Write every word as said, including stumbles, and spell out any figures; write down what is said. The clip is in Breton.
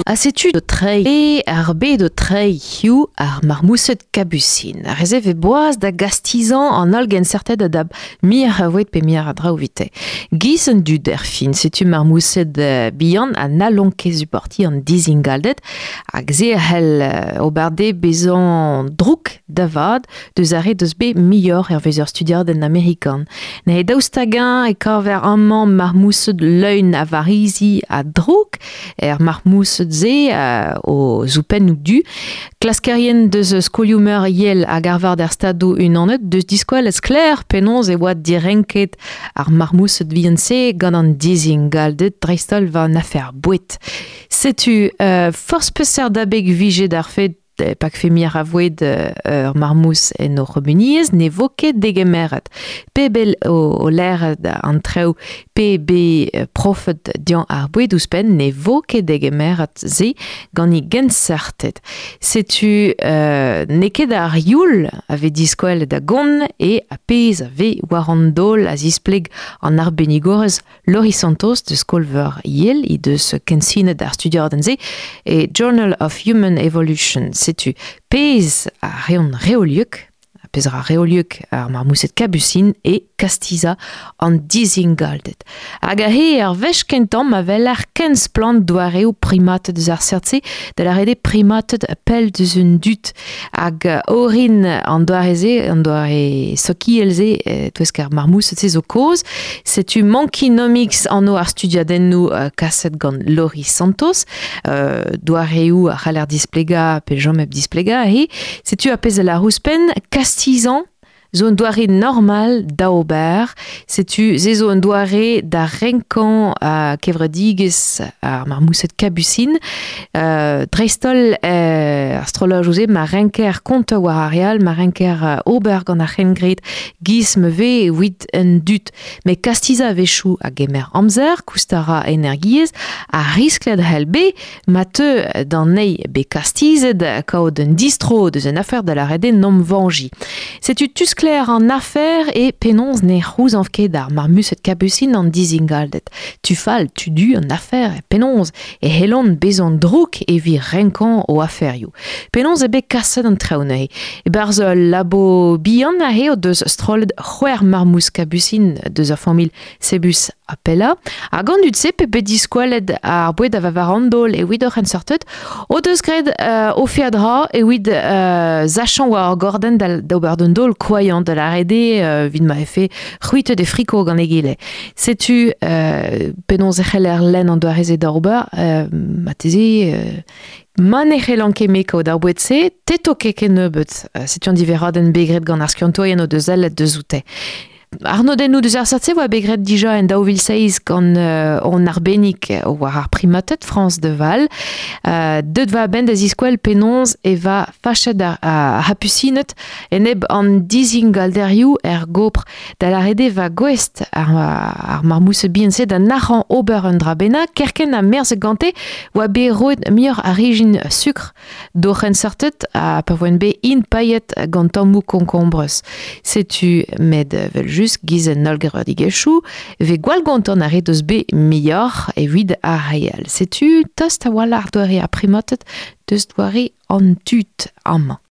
A setu o treiñ e ar bed o treiñ hiziv ar marmoused kabusin. Ar re-se vez boaz da gastizañ an holl genseurted a dap mir a voed pe mir a draoù evite. Giz an dud er fin, setu marmoused bihan ha n'hallont ket supportiñ an dizingalded hag se a c'hell ober dezhe bezañ drouk da vat deus ar re deus bet muioc'h hervez ur studiadenn amerikan. Neuze daoust hag-eñ e kaver amañ marmoused leun a varizi ha drouk er marmoused-se euh, o zoupennoù du. Klaskerien deus skolioù-meur Yale hag Harvard er Stadoù Unanet deus diskouezet sklaer penaos e oa direnket ar marmoused vihan-se gant an dizingalded dreist-holl war an afer boued. Setu euh, forzh peseurt abeg vije d'ar fed pakfe mir a voed ur marmous en o c'humuniezh ne vo ket degemeret. Pe bel o, o lâret an traoù pe be profet dian ar boued ouzhpenn ne vo ket degemeret se gant e genseurted. Setu euh, n'eo ket ar youl a vez diskouezet da gont e a pezh a vez war an daol a zispleg an arbennigorez Laurie Santos de Skol-Veur Yale he deus kensinet ar studiadenn-se e Journal of Human Evolution. Setu pezh a reont reoliek, pezh a ra reoliek ar marmoused kabusin e kastizañ an dizingalded. Hag aze ar wech kentañ ma weler ken splann doareoù primated eus ar seurt-se da lâret eo primated pell deus un dud hag orin an doare-se, an doare sokial-se e-touesk ar marmoused-se zo kaoz. Setu Monkeynomics anv ar studiadennoù kaset gant Laurie Santos, euh, doareoù a c'haller displegañ pe chom hep displegañ aze. Setu ar pezh a lâr ouzhpenn kastizañ zo un doare normal da ober. Setu se zo un doare da renkañ a kevredigezh ar marmoused kabusin. Euh, dreist-holl euh, ar strolladoù-se ma renker kontañ war ar re all, ma renker ober gant ar c'hengred giz ma vez evit un dud. Met kastizañ a-wechoù a gemer amzer, koust a ra energiezh, ha risklet a c'hell bet ma teu d'an eil bet kastizet kaout un distro deus un afer da lâret eo n'om vañjiñ. Setu tuskler an afer e penaos ne c'houzañv ket ar marmoused kabusin an dizingalded. Tu fall, tu du an afer e penaos e c'hellont bezañ drouk evit renkañ o aferioù. Penaos eo bet kaset an traoù neuze. E-barzh ul labo bihan aze o deus strollet c'hwec'h marmous kabusin deus ar familh Cebus apella. Hag an dud-se pe bet diskouezet ar boued a va war an daol evit o c'henseurted o deus graet euh, o feadra evit euh, sachañ war ar gordenn da, d'ober d'un daol koailhañ da lâret eo euh, evit ma vefe c'hwitet e friko gant egile. Setu euh, penaos e c'heller lenn an doare-se da ober, euh, marteze euh, ma ne c'hellan ket me kaout ar boued-se, te 'to ket kennebeut. Setu an diverradenn bet graet gant ar skiantourien o deus sellet deus oute. Arnodennoù deus ar seurt-se oa bet graet dija en daou vil seizh gant euh, hon arbennig war ar primated France de Waal. Euh, deut va a-benn da ziskouel penaos e va fachet ar, ar c'hapusined enep an dizingalderioù er gopr da lâret eo va gouest ar, ar marmoused bihan-se da nac'hañ ober un dra bennak kerkent ha merzet gante oa bet roet muioc'h a rijin sukr d'o c'henseurted ha pa voent bet int paeet gant tammoù konkombrez. Setu met evel-just giz en holl gevredigezhioù vez gwall gontant ar re deus bet muioc'h evit ar re all. Setu tost a-walc'h doare ar primated deus doare an dud amañ.